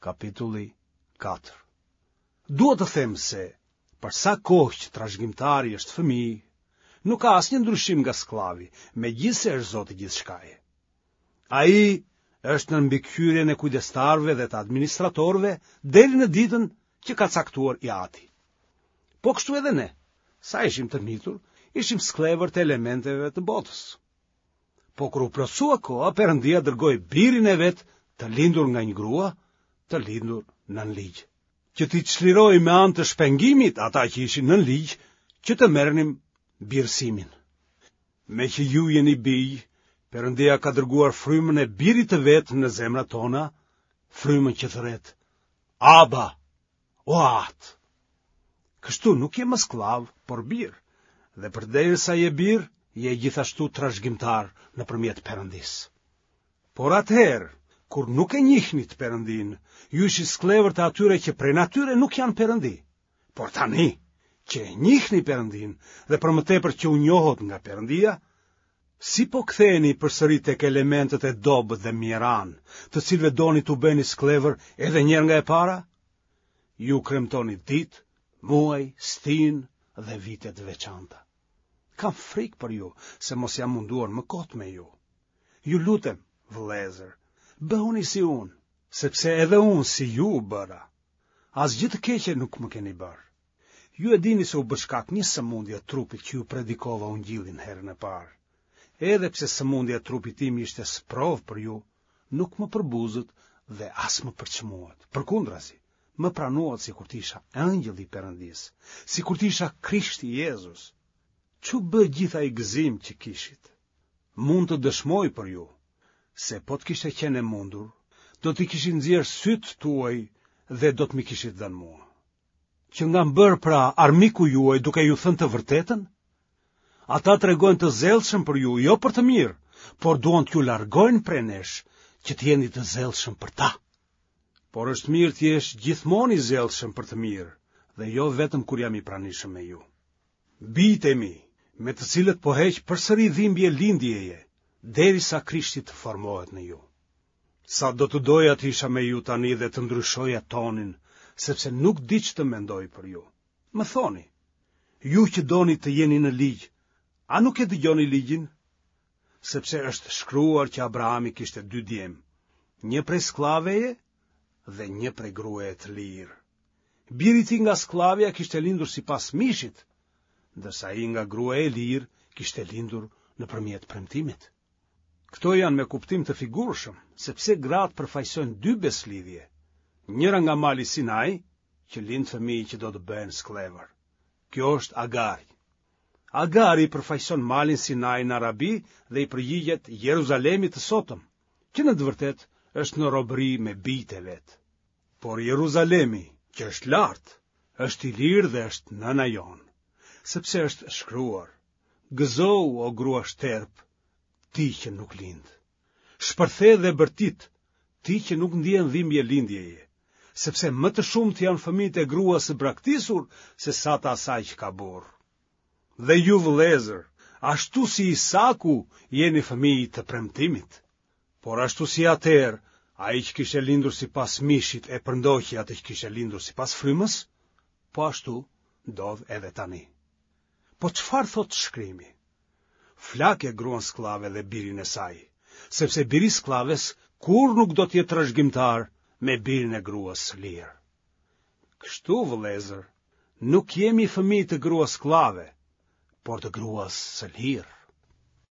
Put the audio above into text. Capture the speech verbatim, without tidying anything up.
Kapitulli katër. Dua të them se, për sa kohë që trashëgimtari është fëmijë, nuk ka asnjë ndryshim nga skllavi, megjithëse është zot i gjithçkaje. Ai është nën mbikëqyrjen e kujdestarëve dhe të administratorëve deri në ditën që ka caktuar i ati. Po kështu edhe ne, sa ishim të mitur, ishim skllevër të elementeve të botës. Po kur u plotësua koha, Perëndia dërgoi birin e vet të lindur nga një grua, të lindur nën ligj, që t'i çlirojë me anë të shpengimit ata që ishin nën ligj, që të merrnim birësimin. Meqë ju jeni bij, Perëndia ka dërguar frymën e birit të vet në zemrat tona, frymën që thërret, Aba, o Atë. Kështu nuk je më skllav, por bir, dhe përderisa je bir, je gjithashtu trashëgimtar nëpërmjet Perëndisë. Por atëherë, kur nuk e njihnit Perëndinë, ju ishit skllevër të atyre që prej natyre nuk janë Perëndi. Por tani, që e njihni Perëndinë dhe për më tepër që u njohët nga Perëndia, si po ktheheni përsëri tek elementët e dobët dhe mjeranë, të cilëve doni t'u bëheni skllevër edhe një herë nga e para? Ju kremtoni ditë, muaj, stinë dhe vite të veçanta. Kam frikë për ju, se mos jam munduar më kot me ju. Ju lutem, vëllezër, bëhuni si unë, sepse edhe unë si ju u bëra. Asgjë të keqe nuk më keni bërë. Ju e dini se u bë shkak një sëmundje e trupit që ju predikova ungjillin herën e parë. Edhe pse sëmundja e trupit tim ishte sprovë për ju, nuk më përbuzët dhe as më përçmuat. Përkundrazi, më pranuat sikur të isha engjëll i Perëndisë, sikur të isha Krishti Jezus. Ç'u bë gjithë ai gëzim që kishit? Mund të dëshmoj për ju se po të kishte qenë e mundur, do t'i kishit nxjerrë sytë tuaj dhe do të m'i kishit dhënë mua. Që nga bërë pra armiku juaj duke ju thënë të vërtetën? Ata tregojnë të zellshëm për ju, jo për të mirë, por duan t'ju largojnë prej nesh, që të jeni të zellshëm për ta. Por është mirë të jesh gjithmonë i zellshëm për të mirë, dhe jo vetëm kur jam i pranishëm me ju. Bijtë e mi, me të cilët po heq përsëri dhimbje lindjeje, derisa Krishti të formohet në ju. Sa do të doja të isha me ju tani dhe të ndryshoja tonin, sepse nuk di ç'të mendoj për ju. Më thoni, ju që doni të jeni në ligj, a nuk e dëgjoni ligjin? Sepse është shkruar që Abrahami kishte dy djem, një prej skllaveje dhe një prej gruaje të lirë. Biri i tij nga skllavja kishte lindur sipas mishit, ndërsa ai nga gruaja e lirë kishte lindur nëpërmjet premtimit. Këto janë me kuptim të figurshëm, sepse gratë përfaqësojnë dy beslidhje, njëra nga mali Sinai, që lind fëmijë që do të bëhen skllevër. Kjo është Agari. Agari përfaqëson malin Sinai në Arabi dhe i përgjigjet Jeruzalemit të sotëm, që në të vërtetë është në robëri me bijtë e vet. Por Jeruzalemi, që është lart, është i lirë dhe është nëna jonë, sepse është shkruar: Gëzohu, o grua shterp, ti që nuk lind. Shpërthe dhe bërtit, ti që nuk ndjen dhimbje lindjeje, sepse më të shumtë janë fëmijët e gruas së braktisur se sa të asaj që ka burrë. Dhe ju vëllezër, ashtu si Isaku, jeni fëmijë të premtimit. Por ashtu si atëherë, ai që kishte lindur sipas mishit e përndoqi atë që kishte lindur sipas frymës, po ashtu ndodh edhe tani. Po çfarë thotë shkrimi? Flake gruan skllave dhe birin e saj, sepse biri skllaves kurrë nuk do të jetë trashëgimtar me birin e gruas së lirë. Kështu, vëllezër, nuk jemi fëmijë të gruas skllave, por të gruas së lirë.